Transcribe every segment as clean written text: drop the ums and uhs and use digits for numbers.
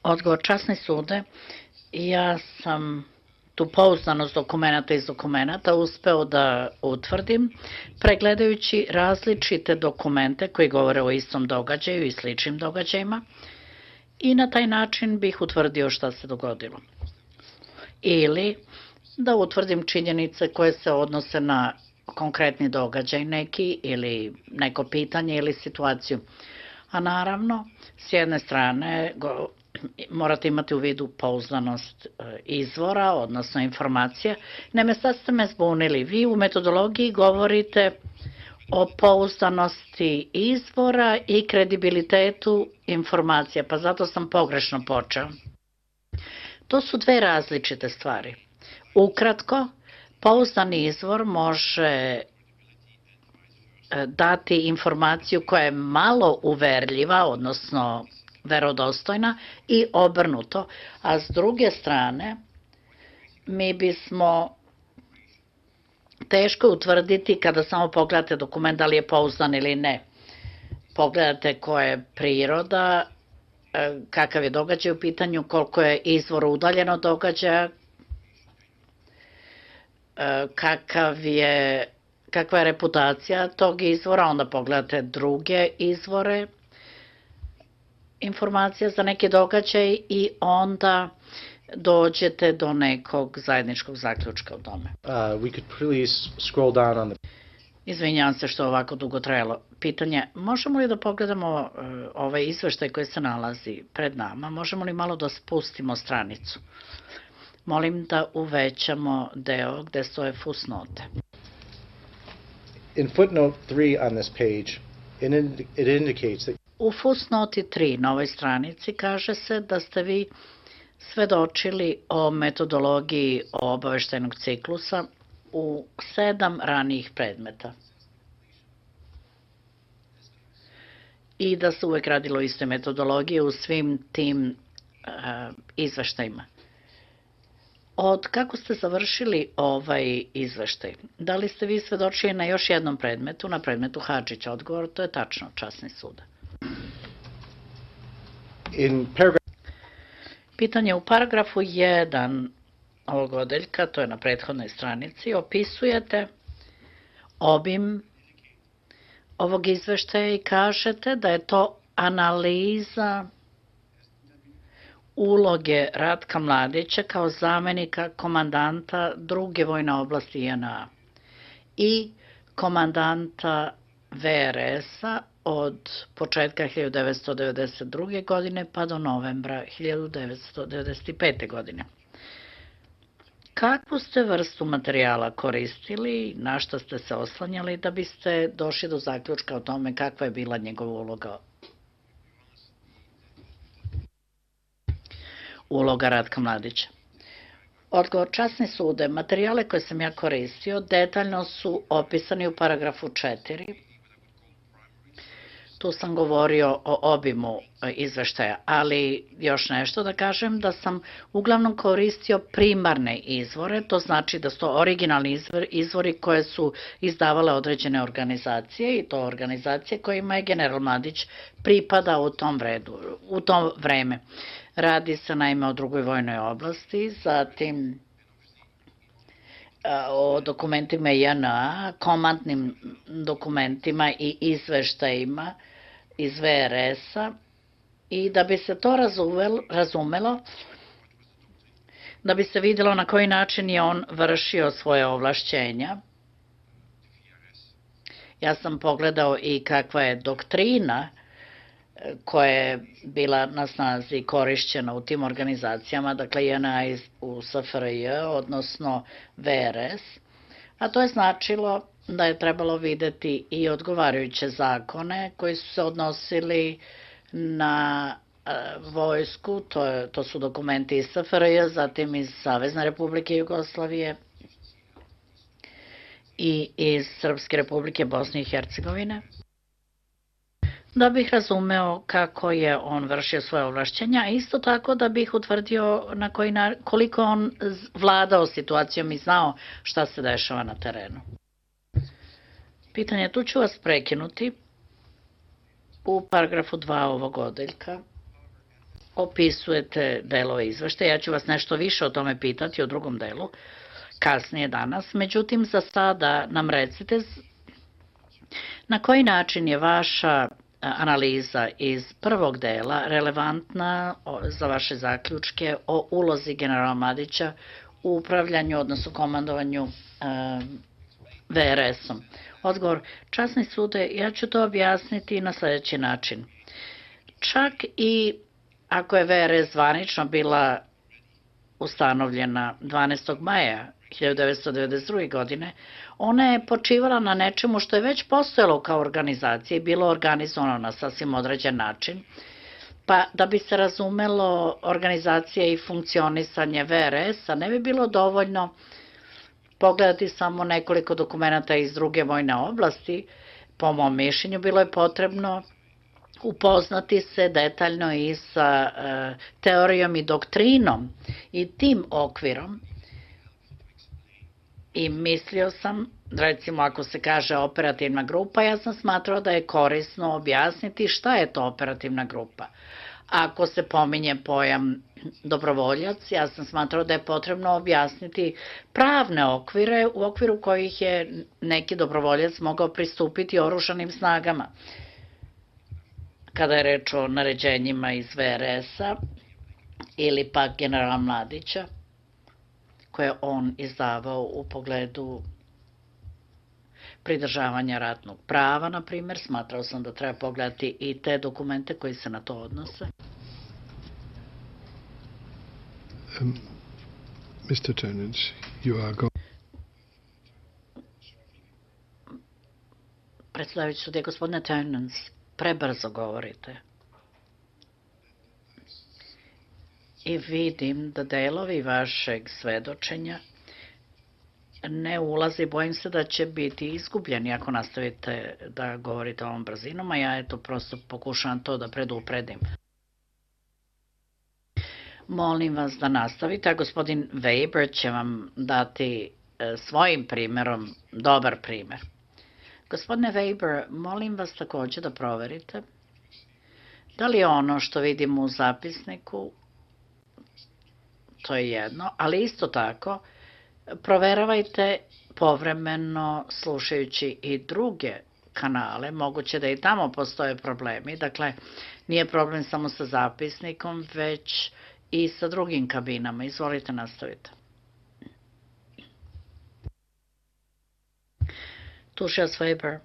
Odgovor, časni sude, ja sam tu pouzdanost dokumenta iz dokumenta uspeo da utvrdim pregledajući različite dokumente koji govore o istom događaju i sličnim događajima i na taj način bih utvrdio šta se dogodilo. Ili da utvrdim činjenice koje se odnose na konkretni događaj neki ili neko pitanje ili situaciju. A naravno, s jedne strane morate imati u vidu pouzdanost izvora, odnosno informacija. Naime, sad ste me zbunili. Vi u metodologiji govorite o pouzdanosti izvora i kredibilitetu informacija, pa zato sam pogrešno počeo. To su dve različite stvari. Ukratko, pouzdani izvor može dati informaciju koja je malo uverljiva, odnosno verodostojna i obrnuto, a s druge strane mi bismo teško utvrditi kada samo pogledate dokument da li je pouzdan ili ne. Pogledate koja je priroda, kakav je događaj u pitanju, koliko je izvor udaljen od događaja, kakva je reputacija tog izvora, onda pogledate druge izvore informacija za neki događaj i onda dođete do nekog zajedničkog zaključka o tome. We could please scroll down on the... Izvinjavam se što ovako dugo trajalo. Pitanje, možemo li da pogledamo ovaj izveštaj koji se nalazi pred nama? Možemo li malo da spustimo stranicu? Molim da uvećamo deo gde stoje fusnote. In footnote 3 on this page, it indicates that u fusnoti 3 na ovoj stranici kaže se da ste vi svedočili o metodologiji obaveštajnog ciklusa u 7 ranijih predmeta i da se uvek radilo o istoj metodologiji u svim tim izveštajima. Od kako ste završili ovaj izveštaj? Da li ste vi svedočili na još jednom predmetu, na predmetu Hadžića? Odgovor, to je tačno, časni suda. Pitanje u paragrafu 1 ovog odeljka, to je na prethodnoj stranici, opisujete obim ovog izveštaja i kažete da je to analiza uloge Ratka Mladića kao zamenika komandanta druge vojne oblasti JNA i komandanta VRS-a od početka 1992. godine pa do novembra 1995. godine. Kakvu ste vrstu materijala koristili, na što ste se oslanjali da biste došli do zaključka o tome kakva je bila njegova uloga Ratka Mladića? Odgovor, časni sude, materijale koje sam ja koristio detaljno su opisani u paragrafu 4. Tu sam govorio o obimu izveštaja, ali još nešto da kažem, da sam uglavnom koristio primarne izvore, to znači da su to originalni izvori koje su izdavale određene organizacije i to organizacije kojima je general Mladić pripadao u tom vreme. Radi se naime o drugoj vojnoj oblasti, zatim o dokumentima JNA, komandnim dokumentima i izveštajima iz VRS-a i da bi se to razumelo, da bi se vidjelo na koji način je on vršio svoje ovlašćenja. Ja sam pogledao i kakva je doktrina koja je bila na snazi korišćena u tim organizacijama, dakle JNA u SFRJ, odnosno VRS, a to je značilo da je trebalo videti i odgovarajuće zakone koji su se odnosili na vojsku, to su dokumenti iz SFRJ, zatim iz Savezne Republike Jugoslavije i iz Srpske Republike Bosne i Hercegovine, da bih razumeo kako je on vršio svoje ovlašćenja, a isto tako da bih utvrdio koliko on vladao situacijom i znao šta se dešava na terenu. Pitanje, tu ću vas prekinuti u paragrafu 2 ovog odeljka. opisujete delove izveštaja. Ja ću vas nešto više o tome pitati u drugom delu, kasnije danas. Međutim, za sada nam recite na koji način je vaša analiza iz prvog dela relevantna za vaše zaključke o ulozi generala Mladića u upravljanju, odnosno komandovanju VRS-om. Odgovor, časni sude, ja ću to objasniti na sledeći način. Čak i ako je VRS zvanično bila ustanovljena 12. maja 1992. godine, ona je počivala na nečemu što je već postojalo kao organizacija i bilo organizovano na sasvim određen način, pa da bi se razumelo organizacija i funkcionisanje VRS-a ne bi bilo dovoljno pogledati samo nekoliko dokumenta iz druge vojne oblasti. Po mom mišljenju bilo je potrebno upoznati se detaljno i sa teorijom i doktrinom i tim okvirom. I mislio sam, recimo ako se kaže operativna grupa, ja sam smatrao da je korisno objasniti šta je to operativna grupa. Ako se pominje pojam dobrovoljac, ja sam smatrao da je potrebno objasniti pravne okvire u okviru kojih je neki dobrovoljac mogao pristupiti oružanim snagama. Kada je reč o naređenjima iz VRS-a ili pak generala Mladića, koje on izdavao u pogledu pridržavanja ratnog prava, na primjer, smatrao sam da treba pogledati i te dokumente koji se na to odnose. Mr. Turnage, you are going. Predsedavajući sudija, gospodine Turnance, prebrzo govorite. I vidim da delovi vašeg svedočenja ne ulazi, bojim se da će biti izgubljeni ako nastavite da govorite ovom brzinom, a ja eto prosto pokušavam to da predupredim. Molim vas da nastavite, a gospodin Weber će vam dati svojim primerom dobar primer. Gospodine Weber, molim vas takođe da proverite da li je ono što vidimo u zapisniku, to je jedno, ali isto tako proveravajte povremeno slušajući i druge kanale, moguće da i tamo postoje problemi, dakle nije problem samo sa zapisnikom, već i sa drugim kabinama. Izvolite, nastavite. Tužilac Weber,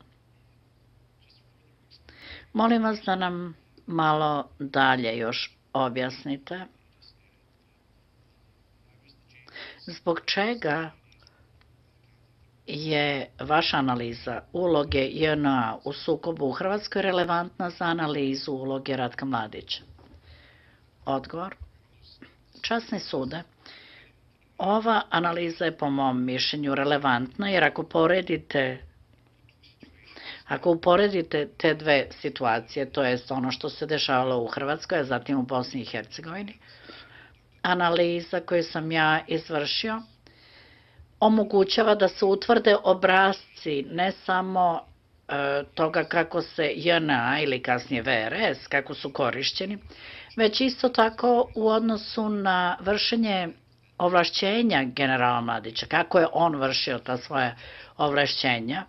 molim vas da nam malo dalje još objasnite zbog čega je vaša analiza uloge JNA u sukobu u Hrvatskoj relevantna za analizu uloge Ratka Mladića? Odgovor. Časni sude, ova analiza je po mom mišljenju relevantna jer ako uporedite te dve situacije, to jest ono što se dešavalo u Hrvatskoj, a zatim u Bosni i Hercegovini, analiza koju sam ja izvršio omogućava da se utvrde obrasci ne samo toga kako se JNA ili kasnije VRS, kako su korišćeni, već isto tako u odnosu na vršenje ovlašćenja generala Mladića, kako je on vršio ta svoja ovlašćenja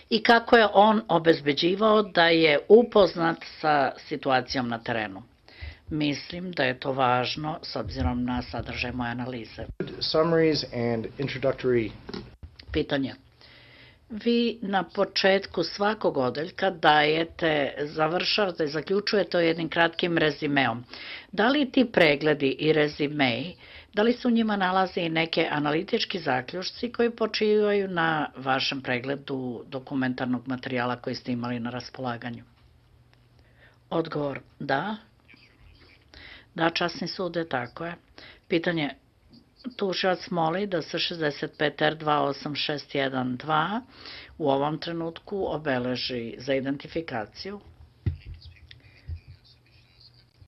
i kako je on obezbeđivao da je upoznat sa situacijom na terenu. Mislim da je to važno s obzirom na sadržaj moje analize. Summaries and introductory. Pitanje. Vi na početku svakog odeljka završavate, zaključujete jednim kratkim rezimeom. Da li ti pregledi i rezimeji, da li se u njima nalaze i neke analitički zaključci koji počivaju na vašem pregledu dokumentarnog materijala koji ste imali na raspolaganju? Odgovor, da. Da, časni sude, tako je. Pitanje, tužilac moli da se 65R28612 u ovom trenutku obeleži za identifikaciju.